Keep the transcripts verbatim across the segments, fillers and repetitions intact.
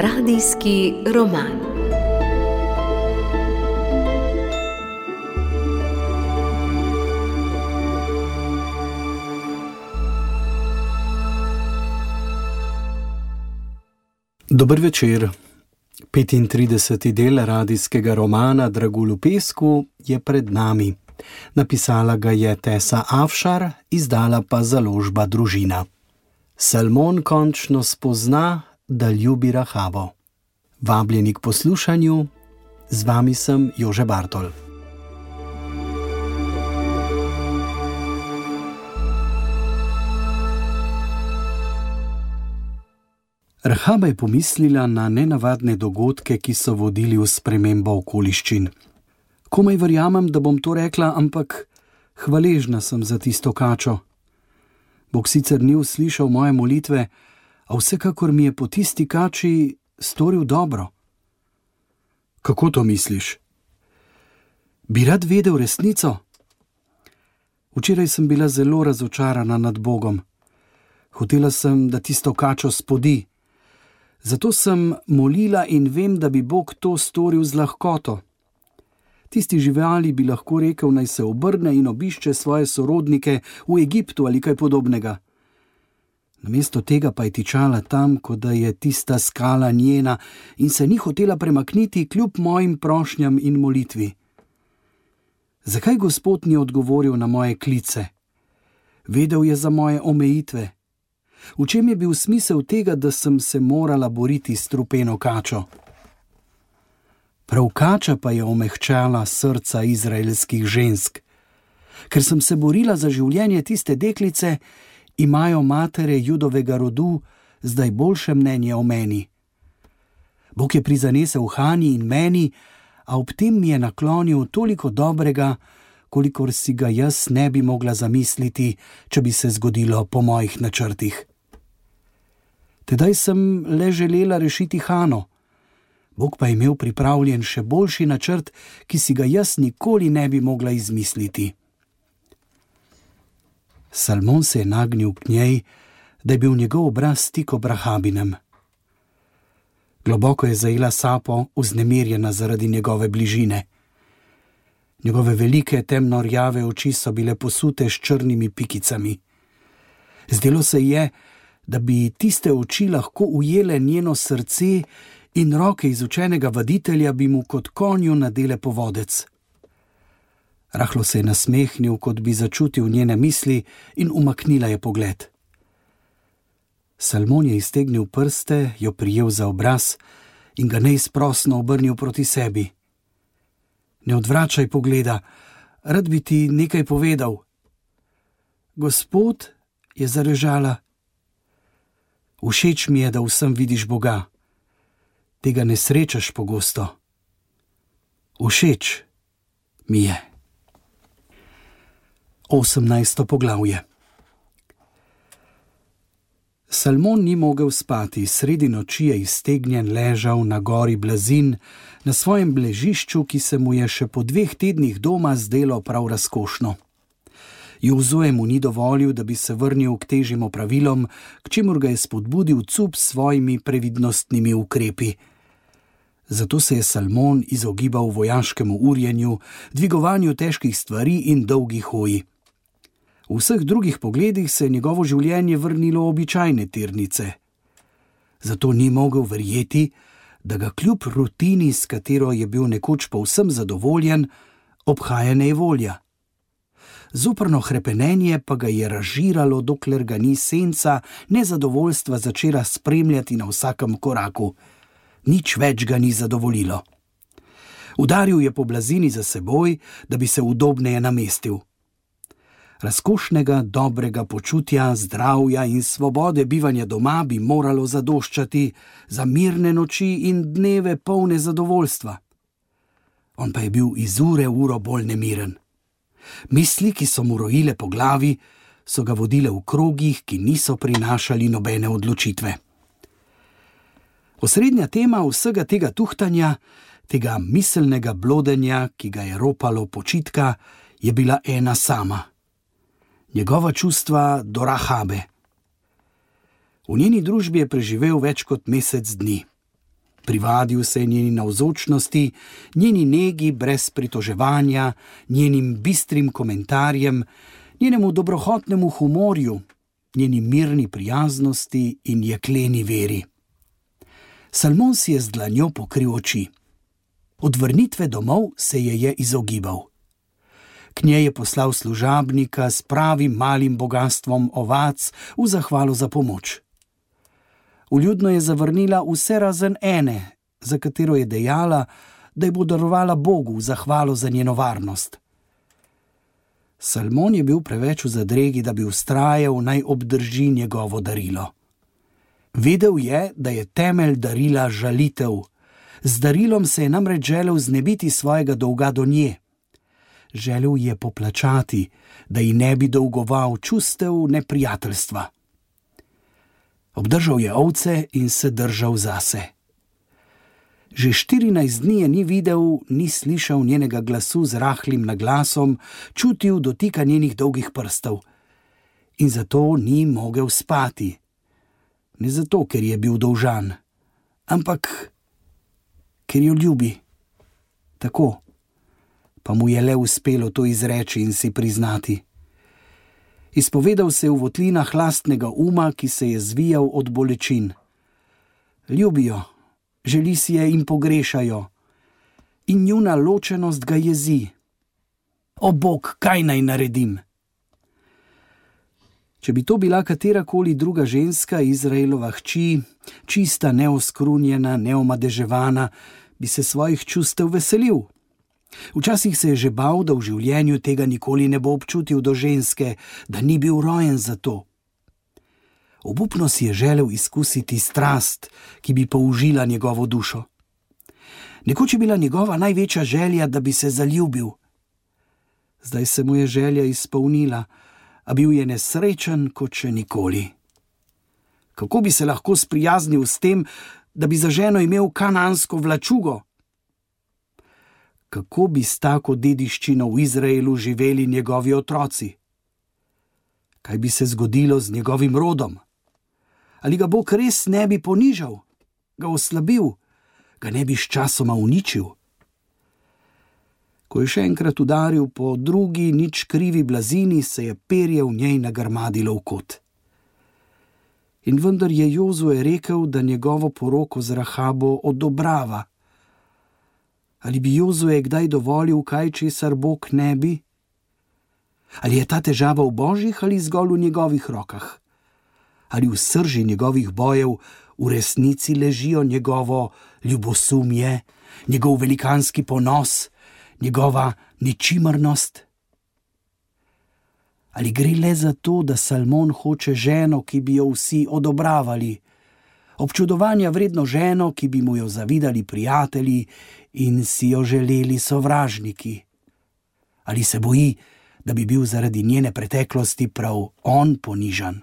Radijski roman. Dober večer. petintrideseti del radijskega romana Dragulj v pesku je pred nami. Napisala ga je Tessa Afšar, izdala pa založba Družina. Salmon končno spozna, da ljubi Rahabo. Vabljeni k poslušanju, z vami sem Jože Bartol. Rahaba je pomislila na nenavadne dogodke, ki so vodili v spremembo okoliščin. Komaj verjamem, da bom to rekla, ampak hvaležna sem za tisto kačo. Bog sicer ni uslišal moje molitve, a vsekakor mi je po tisti kači storil dobro. Kako to misliš? Bi rad vedel resnico? Včeraj sem bila zelo razočarana nad Bogom. Hotela sem, da tisto kačo spodi. Zato sem molila in vem, da bi Bog to storil z lahkoto. Tisti živali bi lahko rekel, naj se obrne in obišče svoje sorodnike v Egiptu ali kaj podobnega. Namesto tega pa je tičala tam, kot da je tista skala njena in se ni hotela premakniti kljub mojim prošnjam in molitvi. Zakaj Gospod ni odgovoril na moje klice? Vedel je za moje omejitve. V čem je bil smisel tega, da sem se morala boriti s strupeno kačo? Prav kača pa je omehčala srca izraelskih žensk. Ker sem se borila za življenje tiste deklice, imajo matere judovega rodu zdaj boljše mnenje o meni. Bog je prizanesel Hani in meni, a ob tem mi je naklonil toliko dobrega, kolikor si ga jaz ne bi mogla zamisliti, če bi se zgodilo po mojih načrtih. Tedaj sem le želela rešiti Hano. Bog pa je imel pripravljen še boljši načrt, ki si ga jaz nikoli ne bi mogla izmisliti. Salmon se je nagnil k njej, da je bil njegov obraz tik ob Rahabinem. Globoko je zajela sapo, vznemirjena zaradi njegove bližine. Njegove velike temno rjave oči so bile posute s črnimi pikicami. Zdelo se je, da bi tiste oči lahko ujele njeno srce in roke izučenega vaditelja bi mu kot konju nadele povodec. Rahlo se je nasmehnil, kot bi začutil njene misli, in umaknila je pogled. Salmon je iztegnil prste, jo prijel za obraz in ga neizprosno obrnil proti sebi. Ne odvračaj pogleda, rad bi ti nekaj povedal. Gospod, je zarežala. Všeč mi je, da vsem vidiš Boga. Tega ne srečaš pogosto. Všeč mi je. osemnajsto poglavje. Salmon ni mogel spati, sredi noči je iztegnjen ležal na gori Blazin, na svojem ležišču, ki se mu je še po dveh tednih doma zdelo prav razkošno. Jozue mu ni dovolil, da bi se vrnil k težjim opravilom, k čemur ga je spodbudil cup s svojimi previdnostnimi ukrepi. Zato se je Salmon izogibal vojaškemu urjenju, dvigovanju težkih stvari in dolgih hoji. V vseh drugih pogledih se je njegovo življenje vrnilo običajne tirnice. Zato ni mogel verjeti, da ga kljub rutini, s katero je bil nekoč povsem zadovoljen, obhaja nejevolja. Zoprno hrepenenje pa ga je razžiralo, dokler ga ni senca nezadovoljstva začela spremljati na vsakem koraku. Nič več ga ni zadovoljilo. Udaril je po blazini za seboj, da bi se udobneje namestil. Razkošnega, dobrega počutja, zdravja in svobode bivanja doma bi moralo zadoščati za mirne noči in dneve polne zadovoljstva. On pa je bil iz ure v uro bolj nemiren. Misli, ki so mu rojile po glavi, so ga vodile v krogih, ki niso prinašali nobene odločitve. Osrednja tema vsega tega tuhtanja, tega miselnega blodenja, ki ga je ropalo počitka, je bila ena sama. Njegova čustva do Rahabe. V njeni družbi je preživel več kot mesec dni. Privadil se je njeni navzočnosti, njeni negi brez pritoževanja, njenim bistrim komentarjem, njenemu dobrohotnemu humorju, njeni mirni prijaznosti in jekleni veri. Salmon si je z dlanjo pokril oči. Od vrnitve domov se je je izogibal. K njej je poslal služabnika s pravim malim bogastvom ovac v zahvalo za pomoč. Vljudno je zavrnila vse razen ene, za katero je dejala, da ji bo darovala Bogu v zahvalo za njeno varnost. Salmon je bil preveč v zadregi, da bi vztrajal, naj obdrži njegovo darilo. Vedel je, da je temelj darila žalitev. Z darilom se je namreč želel znebiti svojega dolga do nje. Želel je poplačati, da ji ne bi dolgoval čustev neprijateljstva. Obdržal je ovce in se držal zase. Že štirinajst dni je ni videl, ni slišal njenega glasu z rahlim naglasom, čutil dotika njenih dolgih prstov. In zato ni mogel spati. Ne zato, ker je bil dolžan, ampak ker jo ljubi. Tako. Pa mu je le uspelo to izreči in si priznati. Izpovedal se je v votlinah lastnega uma, ki se je zvijal od bolečin. Ljubijo, želi si je in pogrešajo. In njuna ločenost ga jezi. O Bog, kaj naj naredim? Če bi to bila katerakoli druga ženska, Izraelova hči, čista, neoskrunjena, neomadeževana, bi se svojih čustev veselil. Včasih se je že bal, da v življenju tega nikoli ne bo občutil do ženske, da ni bil rojen za to. Obupno si je želel izkusiti strast, ki bi použila njegovo dušo. Nekoč je bila njegova največja želja, da bi se zaljubil. Zdaj se mu je želja izpolnila, a bil je nesrečen kot še nikoli. Kako bi se lahko sprijaznil s tem, da bi za ženo imel kanansko vlačugo? Kako bi s tako dediščino v Izraelu živeli njegovi otroci? Kaj bi se zgodilo z njegovim rodom? Ali ga Bog res ne bi ponižal, ga oslabil, ga ne bi sčasoma uničil? Ko je še enkrat udaril po drugi, nič krivi blazini, se je perje v njej nagrmadilo v kot. In vendar je Jozue rekel, da njegovo poroko z Rahabo odobrava. Ali bi Jozue kdaj dovolil kaj, česar Bog ne bi? Ali je ta težava v Božjih ali zgolj v njegovih rokah? Ali v srži njegovih bojev v resnici ležijo njegovo ljubosumje, njegov velikanski ponos, njegova ničimrnost? Ali gre le za to, da Salmon hoče ženo, ki bi jo vsi odobravali, občudovanja vredno ženo, ki bi mu jo zavidali prijatelji in si jo želeli sovražniki? Ali se boji, da bi bil zaradi njene preteklosti prav on ponižan?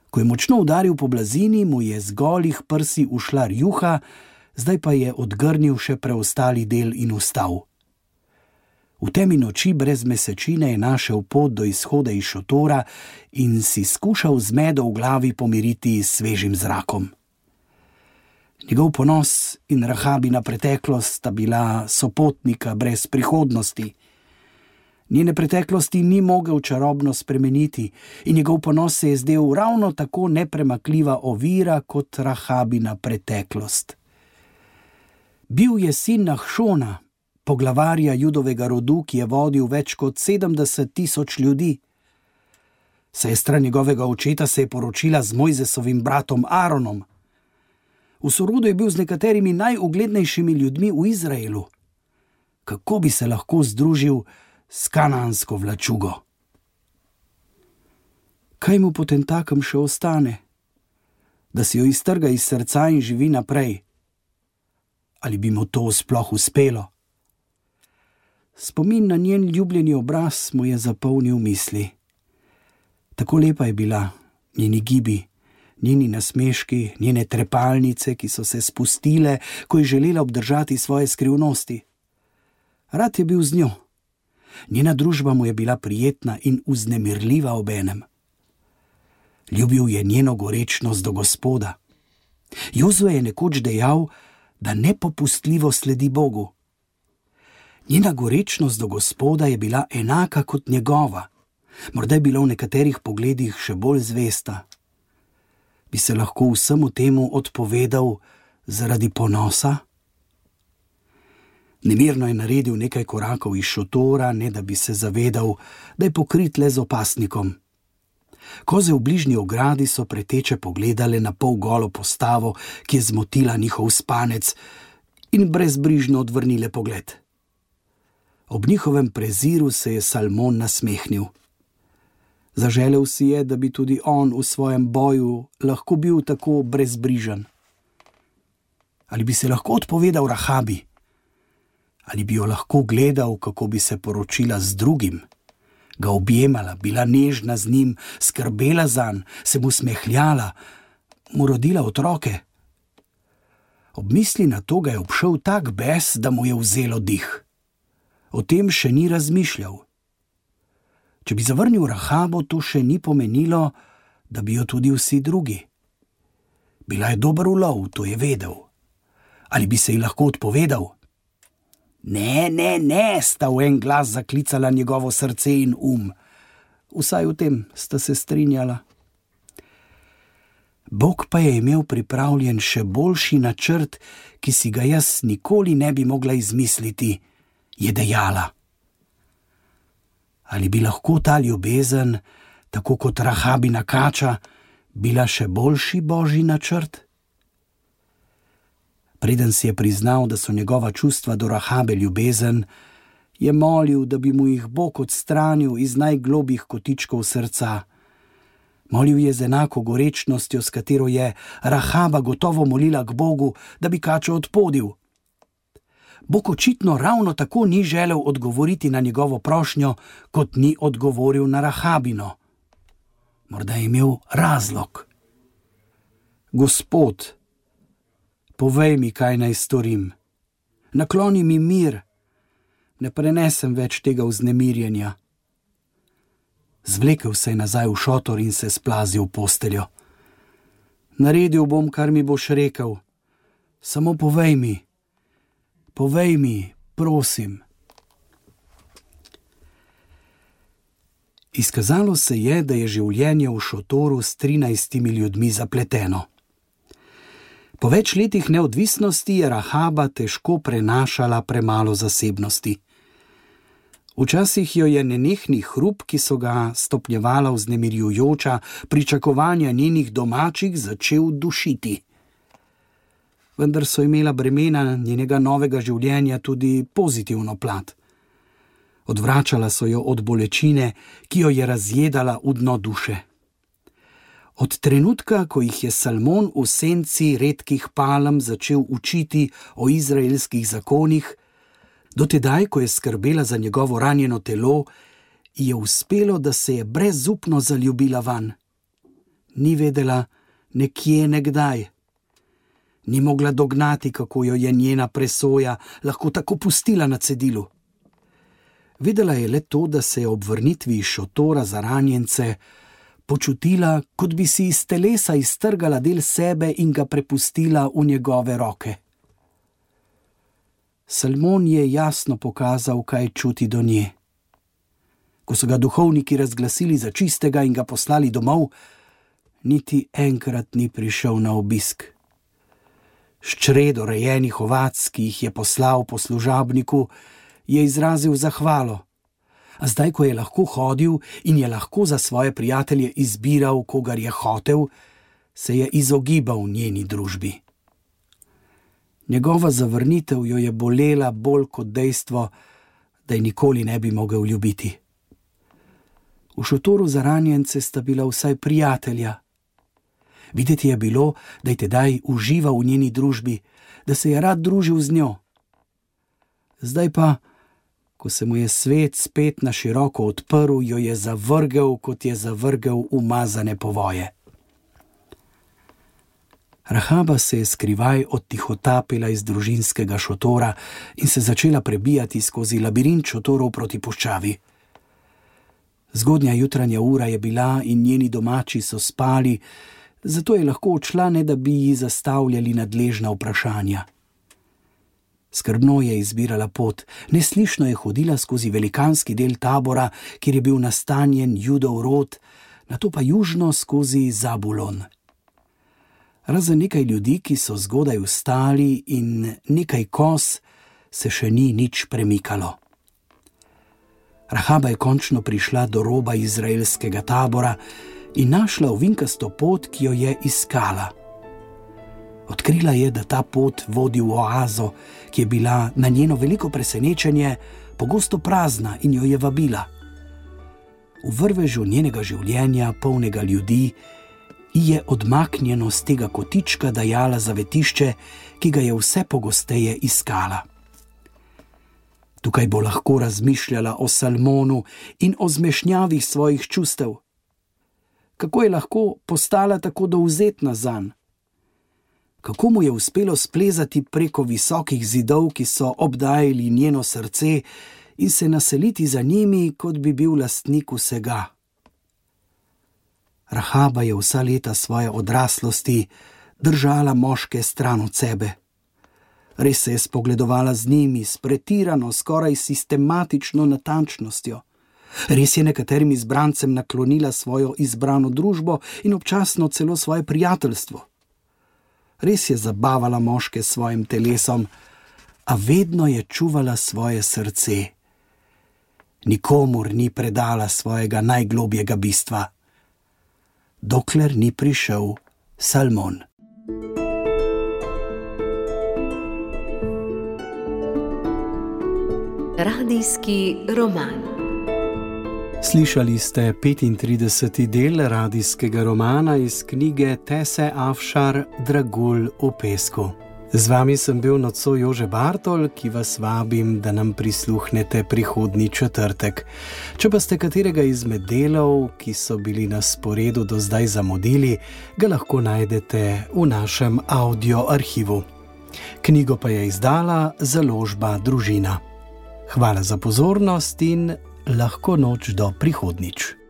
Ko je močno udaril po blazini, mu je z golih prsi ušla rjuha, zdaj pa je odgrnil še preostali del in vstal. V temi noči brez mesečine je našel pot do izhoda iz šotora in si skušal zmedo v glavi pomiriti s svežim zrakom. Njegov ponos in Rahabina preteklost sta bila sopotnika brez prihodnosti. Njene preteklosti ni mogel čarobno spremeniti in njegov ponos se je zdel ravno tako nepremakljiva ovira kot Rahabina preteklost. Bil je sin Nahšona, poglavarja judovega rodu, ki je vodil več kot sedemdeset tisoč ljudi. Sestra njegovega očeta se je poročila z Mojzesovim bratom Aaronom. V sorodu je bil z nekaterimi najuglednejšimi ljudmi v Izraelu. Kako bi se lahko združil s kanansko vlačugo? Kaj mu potentakem še ostane? Da si jo iztrga iz srca in živi naprej. Ali bi mu to sploh uspelo? Spomin na njen ljubljeni obraz mu je zapolnil misli. Tako lepa je bila, njeni gibi, njeni nasmeški, njene trepalnice, ki so se spustile, ko je želela obdržati svoje skrivnosti. Rad je bil z njo. Njena družba mu je bila prijetna in vznemirljiva obenem. Ljubil je njeno gorečnost do Gospoda. Jozue je nekoč dejal, da nepopustljivo sledi Bogu. Njena gorečnost do Gospoda je bila enaka kot njegova, morda je bila v nekaterih pogledih še bolj zvesta. Bi se lahko vsemu temu odpovedal zaradi ponosa? Nemirno je naredil nekaj korakov iz šotora, ne da bi se zavedal, da je pokrit le z opasnikom. Koze v bližnji ogradi so preteče pogledale na pol golo postavo, ki je zmotila njihov spanec, in brezbrižno odvrnile pogled. Ob njihovem preziru se je Salmon nasmehnil. Zaželel si je, da bi tudi on v svojem boju lahko bil tako brezbrižen. Ali bi se lahko odpovedal Rahabi? Ali bi jo lahko gledal, kako bi se poročila z drugim? Ga objemala, bila nežna z njim, skrbela zanj, se mu smehljala, mu rodila otroke. Ob misli na to ga je obšel tak bes, da mu je vzelo dih. O tem še ni razmišljal. Če bi zavrnil Rahabo, to še ni pomenilo, da bi jo tudi vsi drugi. Bila je dober ulov, to je vedel. Ali bi se ji lahko odpovedal? Ne, ne, ne, sta v en glas zaklicala njegovo srce in um. Vsaj v tem sta se strinjala. Bog pa je imel pripravljen še boljši načrt, ki si ga jaz nikoli ne bi mogla izmisliti, je dejala. Ali bi lahko ta ljubezen, tako kot Rahabina kača, bila še boljši božji načrt? Preden si je priznal, da so njegova čustva do Rahabe ljubezen, je molil, da bi mu jih Bog odstranil iz najglobjih kotičkov srca. Molil je z enako gorečnostjo, s katero je Rahaba gotovo molila k Bogu, da bi kačo odpodil. Bog očitno ravno tako ni želel odgovoriti na njegovo prošnjo, kot ni odgovoril na Rahabino. Morda je imel razlog. Gospod, povej mi, kaj naj storim. Nakloni mi mir. Ne prenesem več tega vznemirjenja. Zvlekel se je nazaj v šotor in se splazil v posteljo. Naredil bom, kar mi boš rekel. Samo povej mi. Povej mi, prosim. Izkazalo se je, da je življenje v šotoru s trinajstimi ljudmi zapleteno. Po več letih neodvisnosti je Rahaba težko prenašala premalo zasebnosti. Včasih jo je nenehni hrup, ki so ga stopnjevala vznemirjujoča pričakovanja njenih domačih, začel dušiti. Vendar so imela bremena njenega novega življenja tudi pozitivno plat. Odvračala so jo od bolečine, ki jo je razjedala v dno duše. Od trenutka, ko jih je Salmon v senci redkih palm začel učiti o izraelskih zakonih, do tedaj, ko je skrbela za njegovo ranjeno telo, je uspelo, da se je brezupno zaljubila vanj. Ni vedela nekje nekdaj. Ni mogla dognati, kako jo je njena presoja lahko tako pustila na cedilu. Vedela je le to, da se je ob vrnitvi iz šotora za ranjence počutila, kot bi si iz telesa iztrgala del sebe in ga prepustila v njegove roke. Salmon je jasno pokazal, kaj čuti do nje. Ko so ga duhovniki razglasili za čistega in ga poslali domov, niti enkrat ni prišel na obisk. S čredo rejenih ovac, ki jih je poslal po služabniku, je izrazil zahvalo. A zdaj, ko je lahko hodil in je lahko za svoje prijatelje izbiral, kogar je hotel, se je izogibal njeni družbi. Njegova zavrnitev jo je bolela bolj kot dejstvo, da je nikoli ne bi mogel ljubiti. V šotoru za ranjence sta bila vsaj prijatelja. Videti je bilo, da je tedaj užival v njeni družbi, da se je rad družil z njo. Zdaj pa, ko se mu je svet spet na široko odprl, jo je zavrgel, kot je zavrgel umazane povoje. Rahaba se je skrivaj odtihotapila iz družinskega šotora in se začela prebijati skozi labirint šotorov proti puščavi. Zgodnja jutranja ura je bila in njeni domači so spali, zato je lahko odšla, ne da bi ji zastavljali nadležna vprašanja. Skrbno je izbirala pot, neslišno je hodila skozi velikanski del tabora, kjer je bil nastanjen Judov rod, nato pa južno skozi Zabulon. Razen nekaj ljudi, ki so zgodaj vstali, in nekaj koz, se še ni nič premikalo. Rahaba je končno prišla do roba izraelskega tabora in našla ovinkasto pot, ki jo je iskala. Odkrila je, da ta pot vodi v oazo, ki je bila na njeno veliko presenečenje pogosto prazna, in jo je vabila. V vrvežu njenega življenja, polnega ljudi, ji je odmaknjeno z tega kotička dajala zavetišče, ki ga je vse pogosteje iskala. Tukaj bo lahko razmišljala o Salmonu in o zmešnjavi svojih čustev. Kako je lahko postala tako dovzetna zanj? Kako mu je uspelo splezati preko visokih zidov, ki so obdajali njeno srce, in se naseliti za njimi, kot bi bil lastnik vsega? Rahaba je vsa leta svoje odraslosti držala moške stran od sebe. Res se je spogledovala z njimi s pretirano, skoraj sistematično natančnostjo. Res je nekaterim izbrancem naklonila svojo izbrano družbo in občasno celo svoje prijateljstvo. Res je zabavala moške s svojim telesom, a vedno je čuvala svoje srce. Nikomur ni predala svojega najglobjega bistva, dokler ni prišel Salmon. Radijski roman. Slišali ste petintrideseti del radijskega romana iz knjige Tese Afšar Dragulj v pesku. Z vami sem bil nocoj Jože Bartol, ki vas vabim, da nam prisluhnete prihodnji četrtek. Če pa ste katerega izmed delov, ki so bili na sporedu do zdaj zamudili, ga lahko najdete v našem audio arhivu. Knjigo pa je izdala založba Družina. Hvala za pozornost in lahko noč do prihodnjič.